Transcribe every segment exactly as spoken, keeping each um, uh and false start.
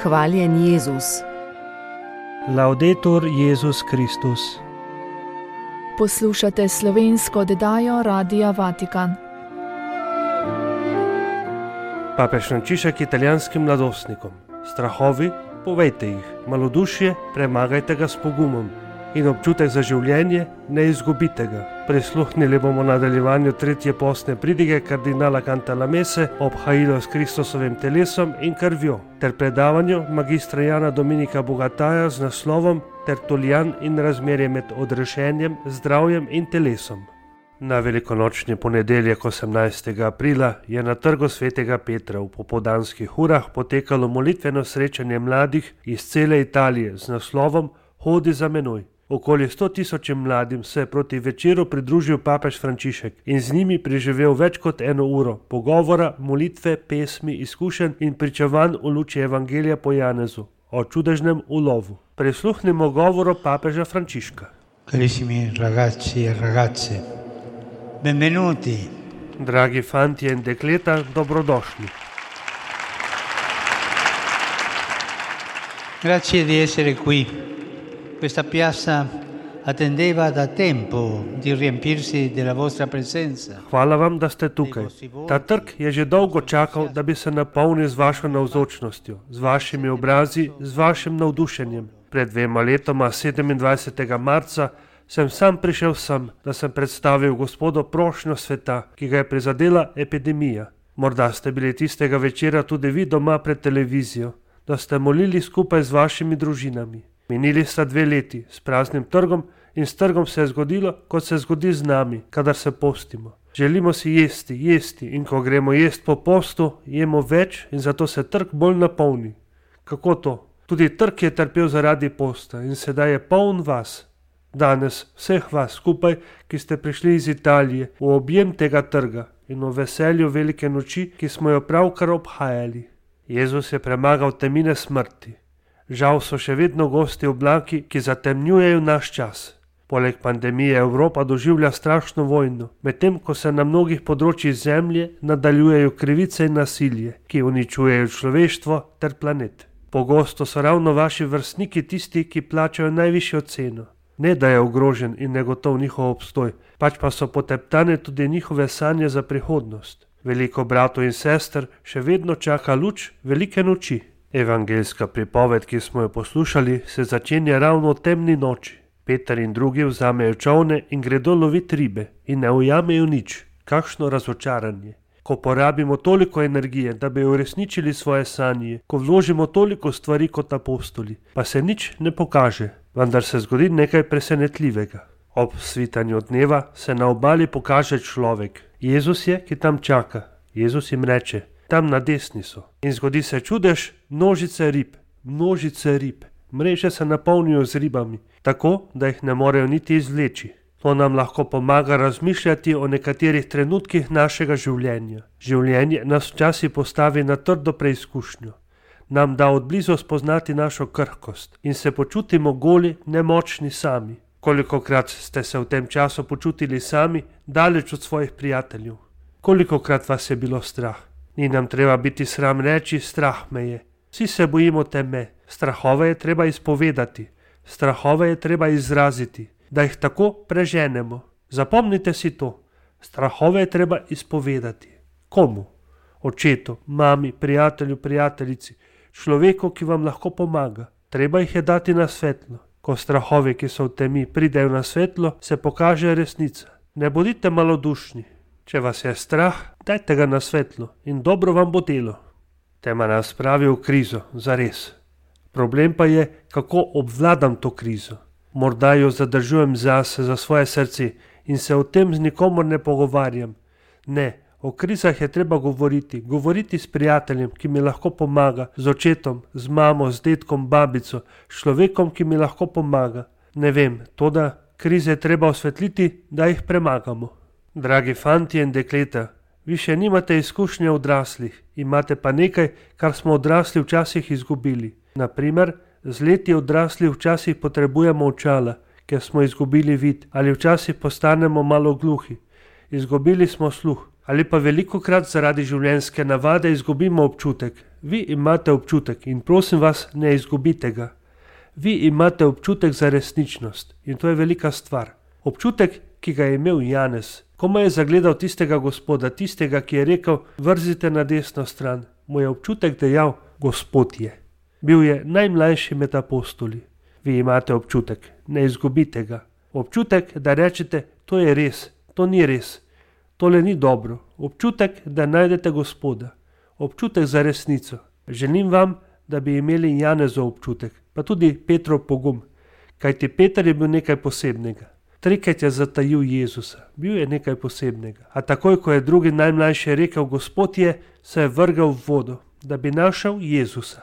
Hvaljen Jezus. Laudetur Jezus Kristus. Poslušate slovensko oddajo Radia Vatikan. Papež Frančišek italijanskim mladostnikom. Strahovi, povejte jih, malodušje, premagajte ga s pogumom in občutek za življenje, ne izgubite ga. Prisluhnili bomo nadaljevanju tretje postne pridige kardinala Cantalamesse ob hailo s Kristusovim telesom in krvjo, ter predavanju magistra Jana Dominika Bogataja z naslovom Tertulijan in razmerje med odrešenjem, zdravjem in telesom. Na velikonočni ponedeljek osemnajstega aprila je na trgu svetega Petra v popoldanskih urah potekalo molitveno srečanje mladih iz cele Italije z naslovom Hodi za menoj. Okoli sto tisočim mladim se je proti večeru pridružil papež Frančišek in z njimi preživel več kot eno uro pogovora, molitve, pesmi, izkušenj in pričevanj v luči Evangelija po Janezu o čudežnem ulovu. Prisluhnimo govoru papeža Frančiška. Carissimi ragazzi e ragazze, benvenuti. Dragi fantje in dekleta, dobrodošli. Grazie di essere qui. Questa piazza attendeva da tempo di riempirsi della vostra presenza. Hvala vam, da ste tukaj. Ta trg je že dolgo čakal, da bi se napolnil z vašo navzočnostjo, z vašimi obrazi, z vašim navdušenjem. Pred dvema letoma, sedemindvajsetega marca, sem sam prišel sem, da sem predstavil Gospodu prošnjo sveta, ki ga je prizadela epidemija. Morda ste bili tistega večera tudi vi doma pred televizijo, da ste molili skupaj z vašimi družinami. Minili sta dve leti s praznim trgom in s trgom se je zgodilo, kot se zgodi z nami, kadar se postimo. Želimo si jesti, jesti in ko gremo jest po postu, jemo več in zato se trg bolj napolni. Kako to? Tudi trg je trpel zaradi posta in sedaj je poln vas. Danes vseh vas skupaj, ki ste prišli iz Italije, v objem tega trga in v veselju velike noči, ki smo jo pravkar obhajali. Jezus je premagal temine smrti. Žal so še vedno gosti oblaki, ki zatemnjujejo naš čas. Poleg pandemije Evropa doživlja strašno vojno, medtem ko se na mnogih področjih zemlje nadaljujejo krivice in nasilje, ki uničujejo človeštvo ter planet. Pogosto so ravno vaši vrstniki tisti, ki plačajo najvišjo ceno. Ne, da je ogrožen in negotov njihov obstoj, pač pa so poteptane tudi njihove sanje za prihodnost. Veliko bratov in sester še vedno čaka luč velike noči. Evangeljska pripoved, ki smo jo poslušali, se začenja ravno v temni noči. Peter in drugi vzamejo čolne in gredo loviti ribe in ne ujamejo nič. Kakšno razočaranje. Ko porabimo toliko energije, da bi uresničili svoje sanje, ko vložimo toliko stvari kot apostoli, pa se nič ne pokaže, vendar se zgodi nekaj presenetljivega. Ob svitanju dneva se na obali pokaže človek. Jezus je, ki tam čaka. Jezus jim reče: tam na desni so. In zgodi se čudež, množice rib, množice rib. Mreže se napolnijo z ribami, tako, da jih ne morejo niti izvleči. To nam lahko pomaga razmišljati o nekaterih trenutkih našega življenja. Življenje nas včasih postavi na trdo preizkušnjo. Nam da odblizu spoznati našo krhkost in se počutimo goli, nemočni sami. Kolikokrat ste se v tem času počutili sami, daleč od svojih prijateljev? Kolikokrat vas je bilo strah? Ni nam treba biti sram reči, strah me je. Vsi se bojimo teme. Strahove je treba izpovedati. Strahove je treba izraziti, da jih tako preženemo. Zapomnite si to. Strahove je treba izpovedati. Komu? Očetu, mami, prijatelju, prijateljici, človeku, ki vam lahko pomaga. Treba jih je dati na svetlo. Ko strahovi, ki so v temi, pridejo na svetlo, se pokaže resnica. Ne bodite malodušni. Če vas je strah, dajte ga na svetlo in dobro vam bo delo. Tema nas pravi v krizo, zares. Problem pa je, kako obvladam to krizo. Morda jo zadržujem zase, za svoje srce in se o tem z nikomor ne pogovarjam. Ne, o krizah je treba govoriti, govoriti s prijateljem, ki mi lahko pomaga, z očetom, z mamo, z dedkom, babico, s človekom, ki mi lahko pomaga. Ne vem, toda krize je treba osvetliti, da jih premagamo. Dragi fantje in dekleta, vi še nimate izkušnje odraslih, imate pa nekaj, kar smo odrasli včasih izgubili. Naprimer, z leti odrasli včasih potrebujemo očala, ker smo izgubili vid, ali včasih postanemo malo gluhi. Izgubili smo sluh, ali pa velikokrat zaradi življenjske navade izgubimo občutek. vi imate občutek in prosim vas, ne izgubite ga. Vi imate občutek za resničnost in to je velika stvar. Občutek, ki ga je imel Janez, ko je zagledal tistega Gospoda, tistega, ki je rekel, vrzite na desno stran, mu je občutek dejal, Gospod je. Bil je najmlajši med apostoli. Vi imate občutek, ne izgubite ga. Občutek, da rečete, to je res, to ni res, tole ni dobro. Občutek, da najdete Gospoda. Občutek za resnico. Želim vam, da bi imeli Janezov občutek, pa tudi Petrov pogum, kajti Peter je bil nekaj posebnega. Trikrat je zatajil Jezusa, bil je nekaj posebnega. A takoj, ko je drugi najmlajši rekel, Gospod je, se je vrgel v vodo, da bi našel Jezusa.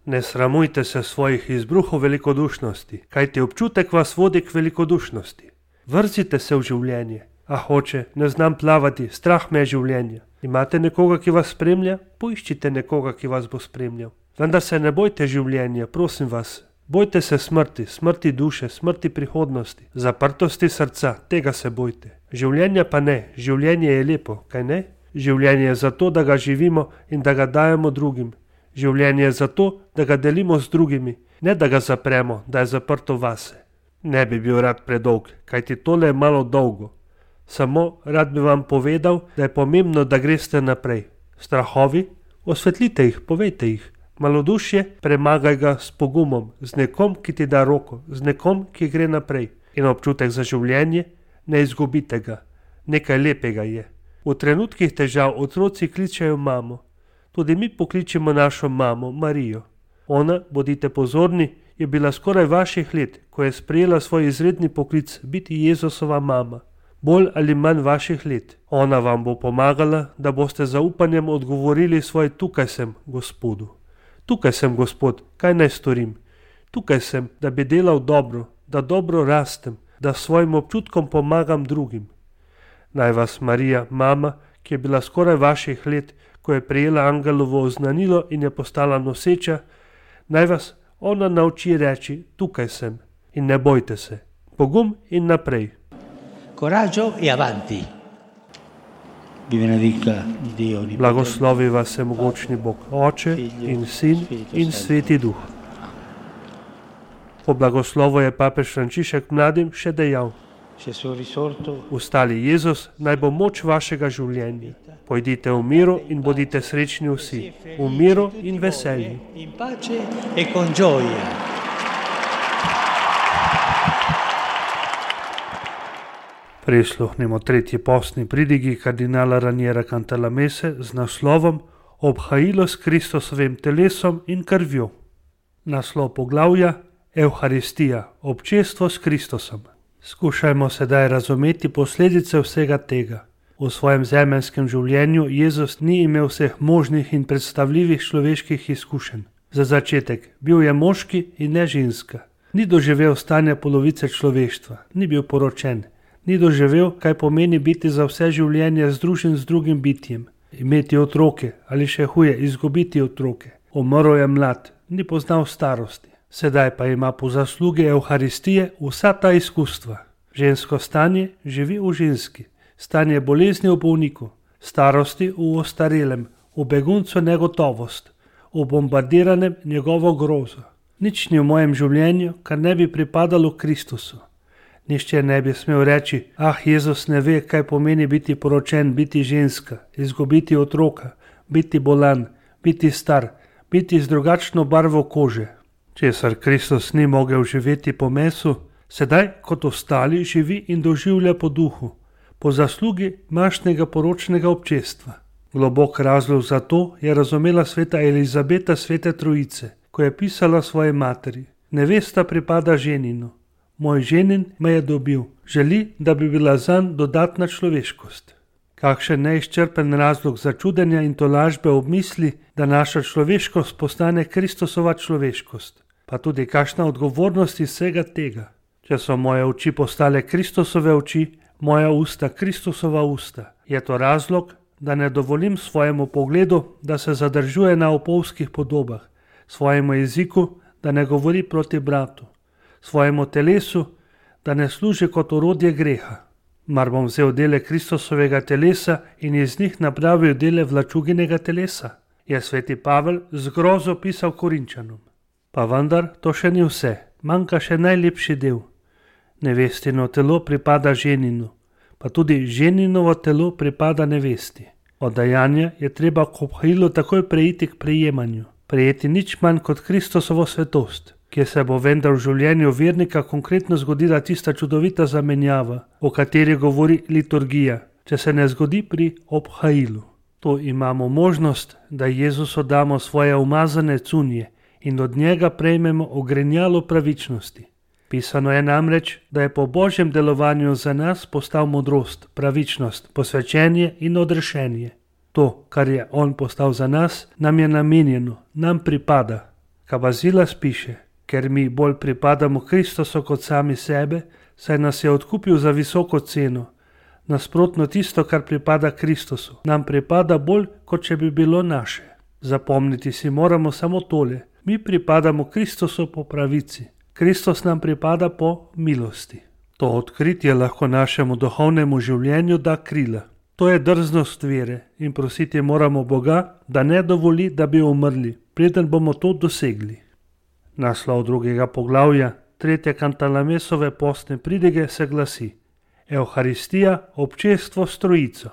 Ne sramujte se svojih izbruhov velikodušnosti, kajti občutek vas vodi k velikodušnosti. Vrzite se v življenje. A hoče, ne znam plavati, strah me je življenja. Imate nekoga, ki vas spremlja? Poiščite nekoga, ki vas bo spremljal. Vendar se ne bojte življenja, prosim vas. Bojte se smrti, smrti duše, smrti prihodnosti, zaprtosti srca, tega se bojte. Življenja pa ne, življenje je lepo, kaj ne? Življenje je zato, da ga živimo in da ga dajemo drugim. Življenje je zato, da ga delimo z drugimi, ne da ga zapremo, da je zaprto vase. Ne bi bil rad predolg, kajti tole je malo dolgo. Samo rad bi vam povedal, da je pomembno, da greste naprej. Strahovi? Osvetlite jih, povejte jih. Malodušje? Premagaj ga s pogumom, z nekom, ki ti da roko, z nekom, ki gre naprej. In občutek za življenje? Ne izgubite ga. Nekaj lepega je. V trenutkih težav otroci kličejo mamo. Tudi mi pokličemo našo mamo, Marijo. Ona, bodite pozorni, je bila skoraj vaših let, ko je sprejela svoj izredni poklic biti Jezusova mama. Bolj ali manj vaših let. Ona vam bo pomagala, da boste z zaupanjem odgovorili svoj tukaj sem, Gospodu. Tukaj sem, Gospod, kaj naj storim? Tukaj sem, da bi delal dobro, da dobro rastem, da svojim občutkom pomagam drugim. Naj vas Marija, mama, ki je bila skoraj vaših let, ko je prejela angelovo oznanilo in je postala noseča, naj vas ona nauči reči, tukaj sem in ne bojte se. Pogum in naprej. Coraggio e avanti. Vi benedica Dio. Blagoslovi vas vsemogočni Bog, Oče in Sin in Sveti Duh. Po blagoslovu je papež Frančišek mladim še dejal, ustali Jezus, naj bo moč vašega življenja. Pojdite v miru in bodite srečni vsi, v miru in veselju. In pace e con gioia. Prisluhnimo tretji postni pridigi kardinala Raniera Cantalamesse z naslovom Obhajilo s Kristusovim telesom in krvjo. Naslov poglavja Evharistija, občestvo s Kristusom. Skušajmo sedaj razumeti posledice vsega tega. V svojem zemeljskem življenju Jezus ni imel vseh možnih in predstavljivih človeških izkušenj. Za začetek, bil je moški in ne ženska. Ni doživel stanja polovice človeštva, ni bil poročen. Ni doživel, kaj pomeni biti za vse življenje združen z drugim bitjem, imeti otroke ali še huje, izgubiti otroke. Umrl je mlad, ni poznal starosti. Sedaj pa ima po zaslugi Evharistije vsa ta izkustva. Žensko stanje živi v ženski, stanje bolezni v bolniku, starosti v ostarelem, v beguncu negotovost, v bombardiranem njegovo grozo. Nič ni v mojem življenju, kar ne bi pripadalo Kristusu. Nihče ne bi smel reči, ah, Jezus ne ve, kaj pomeni biti poročen, biti ženska, izgubiti otroka, biti bolan, biti star, biti z drugačno barvo kože. Česar Kristus ni mogel živeti po mesu, sedaj kot ostali živi in doživlja po duhu, po zaslugi mašnega poročnega občestva. Globok razlog za to je razumela sveta Elizabeta svete Trojice, ko je pisala svoji materi. Nevesta pripada ženinu. Moj ženin me je dobil, želi, da bi bila zanj dodatna človeškost. Kakšen neizčrpen razlog za čudenja in tolažbe ob misli, da naša človeškost postane Kristusova človeškost. Pa tudi kakšna odgovornost iz vsega tega. Če so moje oči postale Kristusove oči, moja usta Kristusova usta, je to razlog, da ne dovolim svojemu pogledu, da se zadržuje na opolskih podobah, svojemu jeziku, da ne govori proti bratu, svojemu telesu, da ne služi kot orodje greha. Mar bom vzel dele Kristusovega telesa in iz njih napravil dele vlačuginega telesa? je sveti Pavel z grozo pisal Korinčanom. Pa vendar to še ni vse, manjka še najlepši del. Nevestino telo pripada ženinu, pa tudi ženinovo telo pripada nevesti. Od dajanja je treba k obhajilu takoj preiti k prejemanju, prejeti nič manj kot Kristusovo svetost, kjer se bo vendar v življenju vernika konkretno zgodila tista čudovita zamenjava, o kateri govori liturgija, če se ne zgodi pri obhajilu. To imamo možnost, da Jezusu damo svoje umazane cunje in od njega prejmemo ogrenjalo pravičnosti. Pisano je namreč, da je po Božjem delovanju za nas postal modrost, pravičnost, posvečenje in odrešenje. To, kar je on postal za nas, nam je namenjeno, nam pripada. Kabazilas piše, ker mi bolj pripadamo Kristusu kot sami sebe, saj nas je odkupil za visoko ceno. Nasprotno tisto, kar pripada Kristusu, nam pripada bolj, kot če bi bilo naše. Zapomniti si moramo samo tole, mi pripadamo Kristusu po pravici. Kristus nam pripada po milosti. To odkritje lahko našemu duhovnemu življenju da krila. To je drznost vere in prositi moramo Boga, da ne dovoli, da bi umrli, preden bomo to dosegli. Naslov drugega poglavja, tretje Kantalamesove postne pridige se glasi: Evharistija, občestvo s Trojico.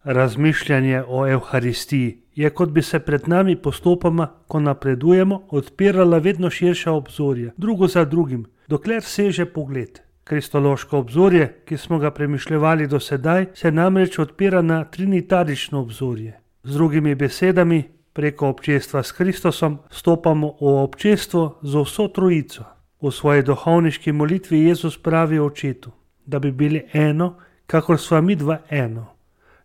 Razmišljanje o Evharistiji je, kot bi se pred nami postopoma, ko napredujemo, odpirala vedno širša obzorja, drugo za drugim, dokler seže pogled. Kristološko obzorje, ki smo ga premišljevali do sedaj, se namreč odpira na trinitarično obzorje. Z drugimi besedami, preko občestva s Kristusom stopamo v občestvo z vso Trojico. V svoji duhovniški molitvi Jezus pravi Očetu, da bi bili eno, kakor sva mi dva eno.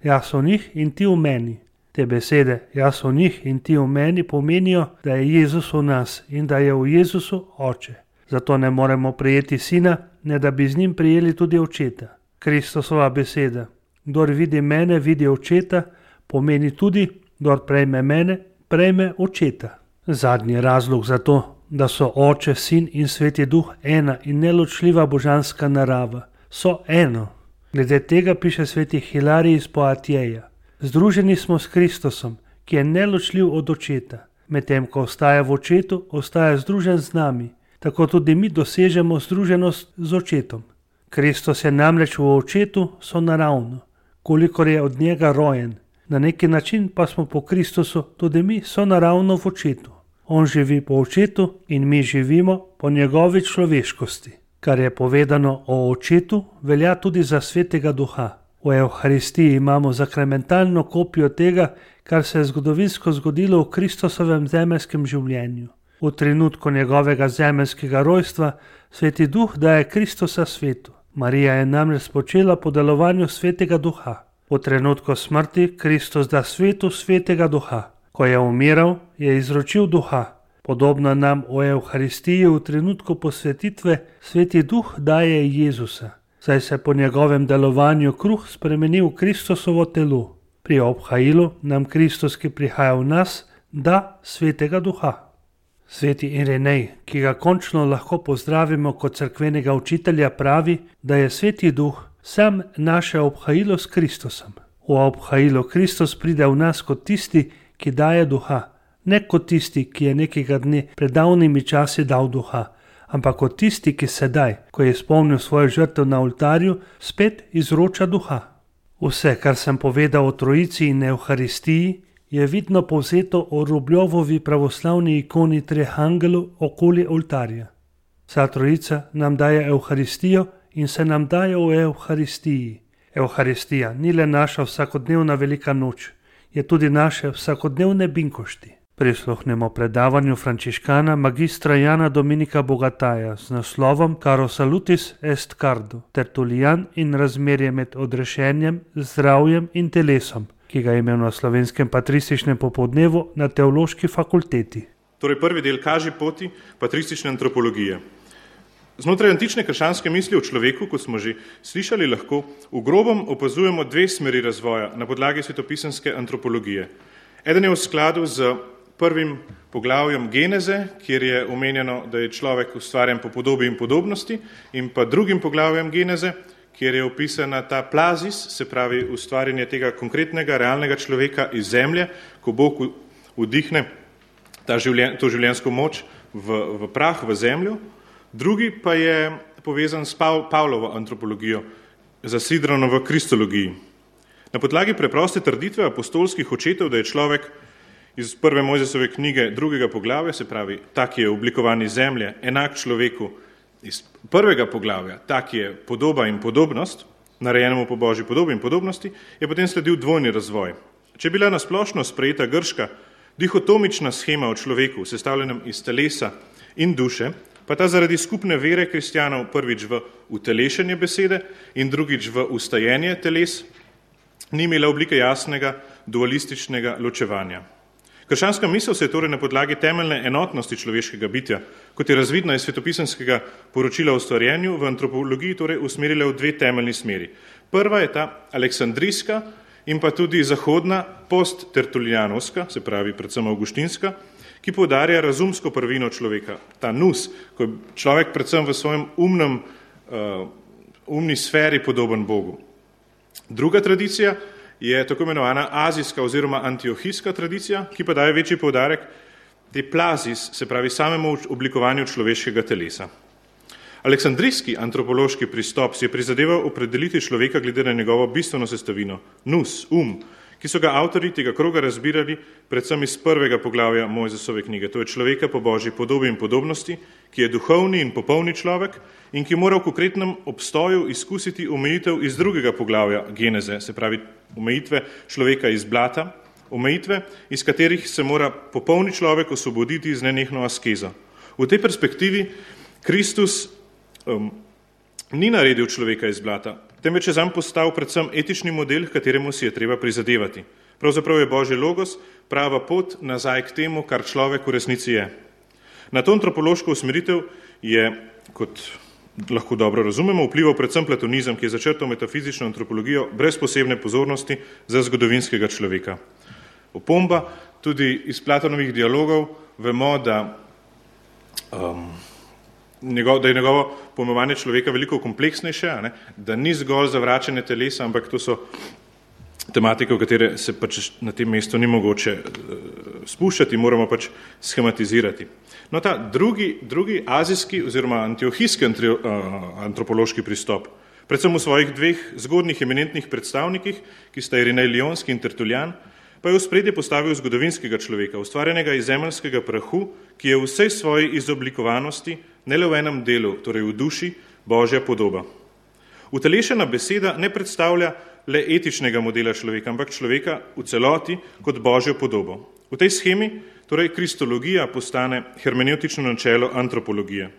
Jaz v njih in ti v meni. Te besede, jaz v njih in ti v meni, pomenijo, da je Jezus v nas in da je v Jezusu Oče. Zato ne moremo prijeti Sina, ne da bi z njim prijeli tudi Očeta. Kristusova beseda, kdor vidi mene, vidi Očeta, pomeni tudi, kdor prejme mene, prejme Očeta. Zadnji razlog za to, da so Oče, Sin in Sveti Duh ena in neločljiva božanska narava, so eno. Glede tega piše sveti Hilarij iz Poatjeja. Združeni smo s Kristusom, ki je neločljiv od Očeta. Medtem ko ostaja v Očetu, ostaja združen z nami. Tako tudi mi dosežemo združenost z Očetom. Kristus je namreč v Očetu sonaravno, kolikor je od njega rojen. Na neki način pa smo po Kristusu tudi mi sonaravno v Očetu. On živi po Očetu in mi živimo po njegovi človeškosti. Kar je povedano o Očetu, velja tudi za Svetega Duha. V Evharistiji imamo sakramentalno kopijo tega, kar se je zgodovinsko zgodilo v Kristusovem zemeljskem življenju. V trenutku njegovega zemeljskega rojstva Sveti Duh daje Kristusa svetu. Marija je namreč spočela po delovanju Svetega Duha. V trenutku smrti Kristus da svetu Svetega Duha. Ko je umiral, je izročil Duha. Podobno nam v Evharistiji v trenutku posvetitve Sveti Duh daje Jezusa, saj se po njegovem delovanju kruh spremeni v Kristusovo telo. Pri obhajilu nam Kristus, ki prihaja v nas, da Svetega Duha. Sveti Irenej, ki ga končno lahko pozdravimo kot cerkvenega učitelja, pravi, da je Sveti Duh sam naše obhajilo s Kristusom. V obhajilu Kristus pride v nas kot tisti, ki daje Duha. Ne kot tisti, ki je nekega dne pred davnimi časi dal Duha, ampak kot tisti, ki sedaj, ko je izpolnil svojo žrtev na oltarju, spet izroča Duha. Vse, kar sem povedal o Trojici in Evharistiji, je vidno povzeto o Rubljovovi pravoslavni ikoni treh angelov okoli oltarja. Vsa Trojica nam daje Evharistijo in se nam daje v Evharistiji. Evharistija ni le naša vsakodnevna velika noč, je tudi naše vsakodnevne binkošti. Prisluhnemo predavanju frančiškana magistra Jana Dominika Bogataja z naslovom Caro salutis est cardo, tertulian in razmerje med odrešenjem, zdravjem in telesom, ki ga je imel na slovenskem patrističnem popoldnevu na teološki fakulteti. Torej prvi del kaže poti patristične antropologije. Znotraj antične krščanske misli o človeku, kot smo že slišali, lahko v grobem opazujemo dve smeri razvoja na podlagi svetopisanske antropologije. Eden je v skladu z prvim poglavjem Geneze, kjer je omenjeno, da je človek ustvarjen po podobi in podobnosti, in pa drugim poglavjem Geneze, kjer je opisana ta plazis, se pravi ustvarjanje tega konkretnega, realnega človeka iz zemlje, ko Bog vdihne ta življen, to življenjsko moč v, v prah, v zemljo. Drugi pa je povezan s Pavlovo antropologijo, zasidrano v kristologiji. Na podlagi preproste trditve apostolskih očetov, da je človek iz prve Mojzesove knjige drugega poglavja, se pravi, tak je oblikovani zemlje, enak človeku iz prvega poglavja, tak je podoba in podobnost, narejenemu po Božji podobi in podobnosti, je potem sledil dvojni razvoj. Če je bila nasplošno sprejeta grška dihotomična shema o človeku, sestavljenem iz telesa in duše, pa ta zaradi skupne vere kristjanov prvič v utelešenje besede in drugič v ustajenje teles, ni imela oblike jasnega dualističnega ločevanja. Krščanska misel se je torej na podlagi temeljne enotnosti človeškega bitja, kot je razvidna iz svetopisemskega poročila o stvarjenju, v antropologiji torej usmerila v dve temeljni smeri. Prva je ta aleksandrijska in pa tudi zahodna post-tertulijanovska, se pravi predvsem avguštinska, ki poudarja razumsko prvino človeka, ta nous, ko je človek predvsem v svojem umnem, uh, umni sferi podoben Bogu. Druga tradicija je tako imenovana azijska oziroma antiohijska tradicija, ki pa daje večji poudarek te plazis, se pravi samemu oblikovanju človeškega telesa. Aleksandrijski antropološki pristop si je prizadeval opredeliti človeka glede na njegovo bistveno sestavino, nous, um, ki so ga avtorji tega kroga razbirali predvsem iz prvega poglavja Mojzesove knjige. To je človeka po Božji podobi in podobnosti, ki je duhovni in popolni človek in ki mora v konkretnem obstoju izkusiti omejitev iz drugega poglavja Geneze, se pravi omejitve človeka iz blata, omejitve, iz katerih se mora popolni človek osvoboditi z nenehno askezo. V tej perspektivi Kristus um, ni naredil človeka iz blata, temveč je zanj postal predvsem etični model, kateremu si je treba prizadevati. Pravzaprav je Božji logos prava pot nazaj k temu, kar človek v resnici je. Na to antropološko usmeritev je, kot lahko dobro razumemo, vplival predvsem platonizem, ki je začrtal metafizično antropologijo brez posebne pozornosti za zgodovinskega človeka. Opomba, tudi iz Platonovih dialogov vemo, da, um, njegov, da je njegovo pojmovanje človeka veliko kompleksnejše, ne? Da ni zgolj zavračanje telesa, ampak to so tematike, v katere se pač na tem mestu ni mogoče uh, spuščati, moramo pač schematizirati. No, ta drugi, drugi azijski oziroma antiohijski antropološki pristop, predvsem v svojih dveh zgodnih eminentnih predstavnikih, ki sta Irinej Lionski in Tertulijan, pa je v spredje postavil zgodovinskega človeka, ustvarjenega iz zemeljskega prahu, ki je v vsej svoji izoblikovanosti, ne le v enem delu, torej v duši, Božja podoba. Utelešena beseda ne predstavlja le etičnega modela človeka, ampak človeka v celoti kot Božjo podobo. V tej shemi torej kristologija postane hermeneutično načelo antropologije.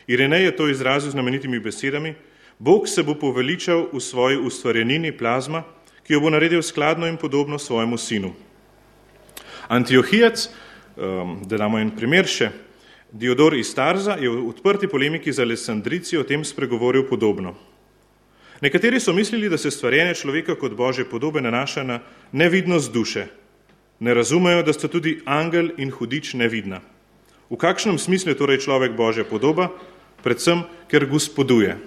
Irinej je to izrazil z znamenitimi besedami: Bog se bo poveličal v svoji ustvarjenini plazma, ki jo bo naredil skladno in podobno svojemu sinu. Antiohijac, da damo en primer še, Diodor iz Tarza je v odprti polemiki z Aleksandrijci o tem spregovoril podobno. Nekateri so mislili, da se stvarjenje človeka kot Božje podobe nanaša na nevidnost duše. Ne razumejo, da sta tudi angel in hudič nevidna. V kakšnem smislu je torej človek Božja podoba? Predvsem, ker gospoduje.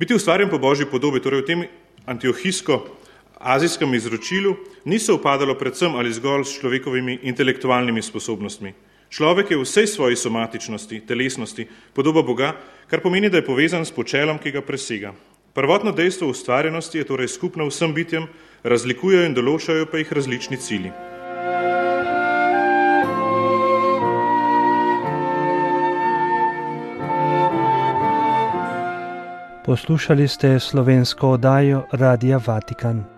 Biti ustvarjen po Božji podobi, torej v tem antiohijsko-azijskem izročilu, ni se upadalo predvsem ali zgolj s človekovimi intelektualnimi sposobnostmi. Človek je v vsej svoji somatičnosti, telesnosti, podoba Boga, kar pomeni, da je povezan s počelom, ki ga presega. Prvotno dejstvo ustvarjenosti je torej skupno vsem bitjem, razlikujejo in določajo pa jih različni cilji. Poslušali ste slovensko oddajo Radia Vatikan.